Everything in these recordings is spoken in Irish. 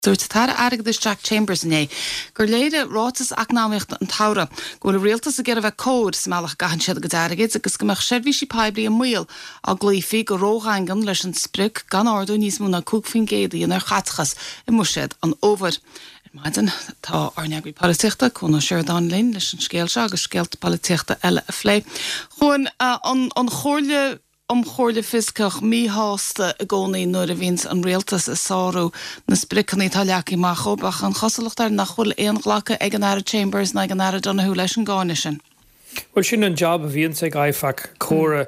Dúirt an tAire Airgeadais Jack Chambers inné gur léirigh ráiteas eacnamaíochta an tsamhraidh go bhfuil an rialtas ag iarraidh a bheith cóir sa mbealach a gcaitheann siad a gcuid airgid agus go mbeadh seirbhísí poiblí i mbaol dá gcloífí go ródhaingean leis an sprioc gan ardú níos mó ná 5% a dhéanamh ar chaiteachas i mbuiséad an fhómhair. Ar maidin tá ár n-eagraí polaitíochta, Cuan Ó Seireadáin linn leis an scéal seo agus scéalta polaitíochta eile a phlé. Chuan, an Chomhairle um Chomhairle Fioscach míshásta i gcónaí nuair a bhíonns an rialtas ag sárú na spriocanna atá leagtha amach dhóibh, ach an chosúlacht air nach bhfuil aon ghlacadh ag an Aire Chambers ná ag an Aire Donohoe leis an gcáineadh sin. Bhuel, sin an jab a bhíonns ag IFAC, comhairle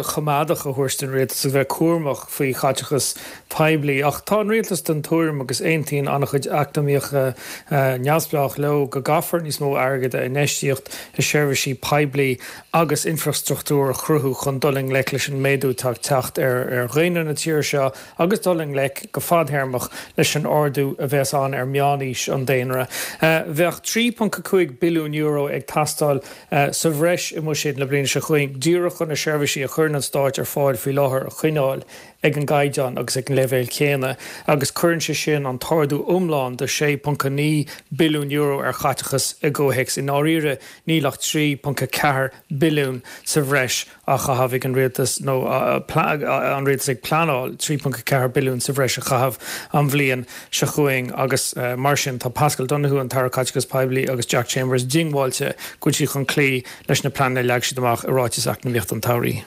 choimeádach a thabhairt don rialtas agus bheith cúramach faoi chaiteachas poiblí. Ach tá an rialtas den tuairim, agus aontaíonn an-chuid eacnamaíocha neamhspleách leo, go gcaithfear níos mó airgid a infheistíocht i seirbhísí poiblí agus infreastruchtúr a chruthú chun dul i ngleic leis an méadú atá ag teacht ar dhaonra na tíre seo agus dul i ngleic go fadthéarmach leis an ardú a bheas ann ar mheánaois an daonra. Bheadh €3.5 billiún ag teastáil sa bhreis i mbuiséad na bliana seo chugainn díreach chun na seirbhísí a chuireann an Stáit ar fáil faoi láthair a choinneáil ag an gcaighdeán agus ag an leibhéal céanna agus cuireann sé sin an t-ardú iomlán de €6.9 billiún ar chaiteachas i gcomhthéacs. I ndáiríre, Níl ach 3.4 billiún sa bhreis á chaitheamh ag an rialtas, nó an rialtas ag pleanáil 3.4 billiún sa bhreis a chaitheamh an bhliain seo chugainn agus mar sin tá Paschal Donohoe, an tAire Caiteachais Poiblí agus Jack Chambers diongbháilte go bhfuil siad chun cloí leis na pleananna a leag siad amach i Ráiteas Eacnamaíochta an tSamhraidh.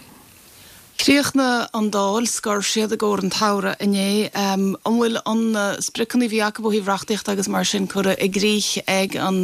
Chríochnaigh an Dáil, scor siad i gcomhair an tsamhraidh inné. An bhfuil na spriocanna a bhí acu ó thaobh reachtaíochta agus mar sin curtha i gcrích ag an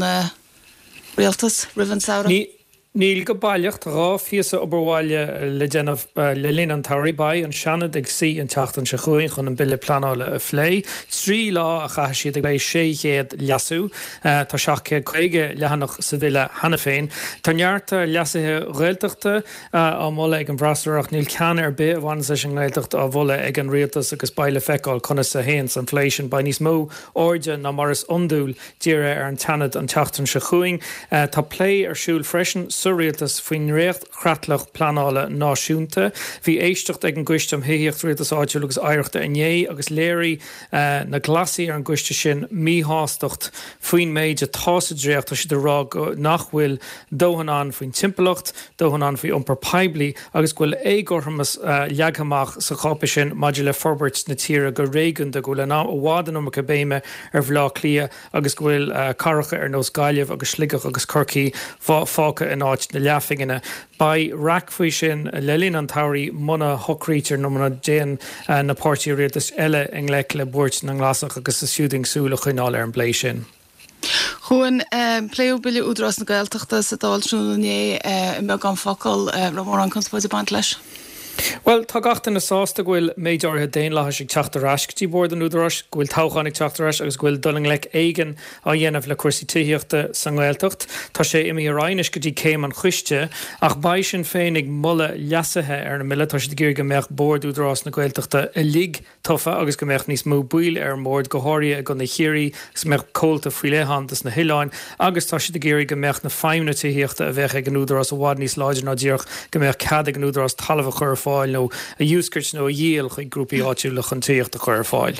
Rialtas roimh an samhradh? Níl go baileach. Tá 2 phíosa obair bhaile le déanamh le linn an tsamhraidh. Beidh an Seanad ag suí an tseachtain seo chugainn chun an Bille Pleanála a phlé. 3 lá a chaithfidh siad ag plé 600 leasú. Tá 750 leathanach sa bhille cheana féin. Tá neart leasuithe Ghaeltachta á moladh ag an bhfreasúra ach níl ceann ar bith a bhaineanns leis an nGaeltacht á mholadh ag an Rialtas agus beidh le feiceáil conas a théanns an plé sin. Beidh níos mó airde ná mar is iondúil dírithe ar an tSeanad an tseachtain seo chugainn. Tá plé ar siúl freisin sa Rialtas faoin ndréacht-chreatlach pleanála náisiúnta. Bhí éisteacht ag an gCoiste um Thithíocht, Rialtas Áitiúil agus Oidhreachta inné agus léirigh na Glasaigh ar an gcoiste sin míshástacht faoin méid atá sa dréacht. Tá siad ag rá go nach bhfuil dóthain ann faoin timpeallacht, dóthain ann faoi iompar poiblí agus go bhfuil éagothromas leagtha amach sa cháipéis sin maidir le forbairt na tíre go réigiúnda, go bhfuil i bhfad an iomarca béime ar Bhaile Átha Cliath agus go bhfuil cathracha ar nós Gaillimh agus Sligeach agus Corcaí fágtha in áit na leathphingine. Beidh raic faoi sin le linn an tsamhraidh muna shocraítear nó muna dtéann na páirtithe rialtais eile i ngleic le buairt na nGlasach agus is fiú dúinn súil a choinneáil ar an bplé sin. Chuan, pléadh Bille Údarás na Gaeltachta sa Dáil tráthnóna inné, i mbeagán focal, raibh mórán conspóide ag baint leis? Bhuel, tá gach duine sásta go bhfuil méid áirithe daonlathais ag teacht ar ais go dtí Bord an Údaráis, go bhfuil toghchán ag teacht ar ais agus go bhfuil dul i ngleic éigin á dhéanamh le cúrsaí tithíochta sa nGaeltacht. Tá sé imithe ar aghaidh anois go dtí céim an choiste ach beidh Sinn Féin ag moladh leasuithe ar an mbille. Tá siad ag iarraidh go mbeadh Bord Údarás na Gaeltachta uilig tofa agus go mbeadh níos mó baill ar an mbord, go háirithe i gContae Chiarraí, agus go mbeadh comhalta faoi leith ann dos na hoileáin agus tá siad ag iarraidh go mbeadh na feidhmeanna tithíochta a bheadh ag an Údarás i bhfad níos láidre ná díreach go mbeadh cead ag an Údarás talamh a chur ar fáil nó a dhiúscairt nó a dhíol chuig grúpaí áitiúla chun tithíocht a chur ar fáil.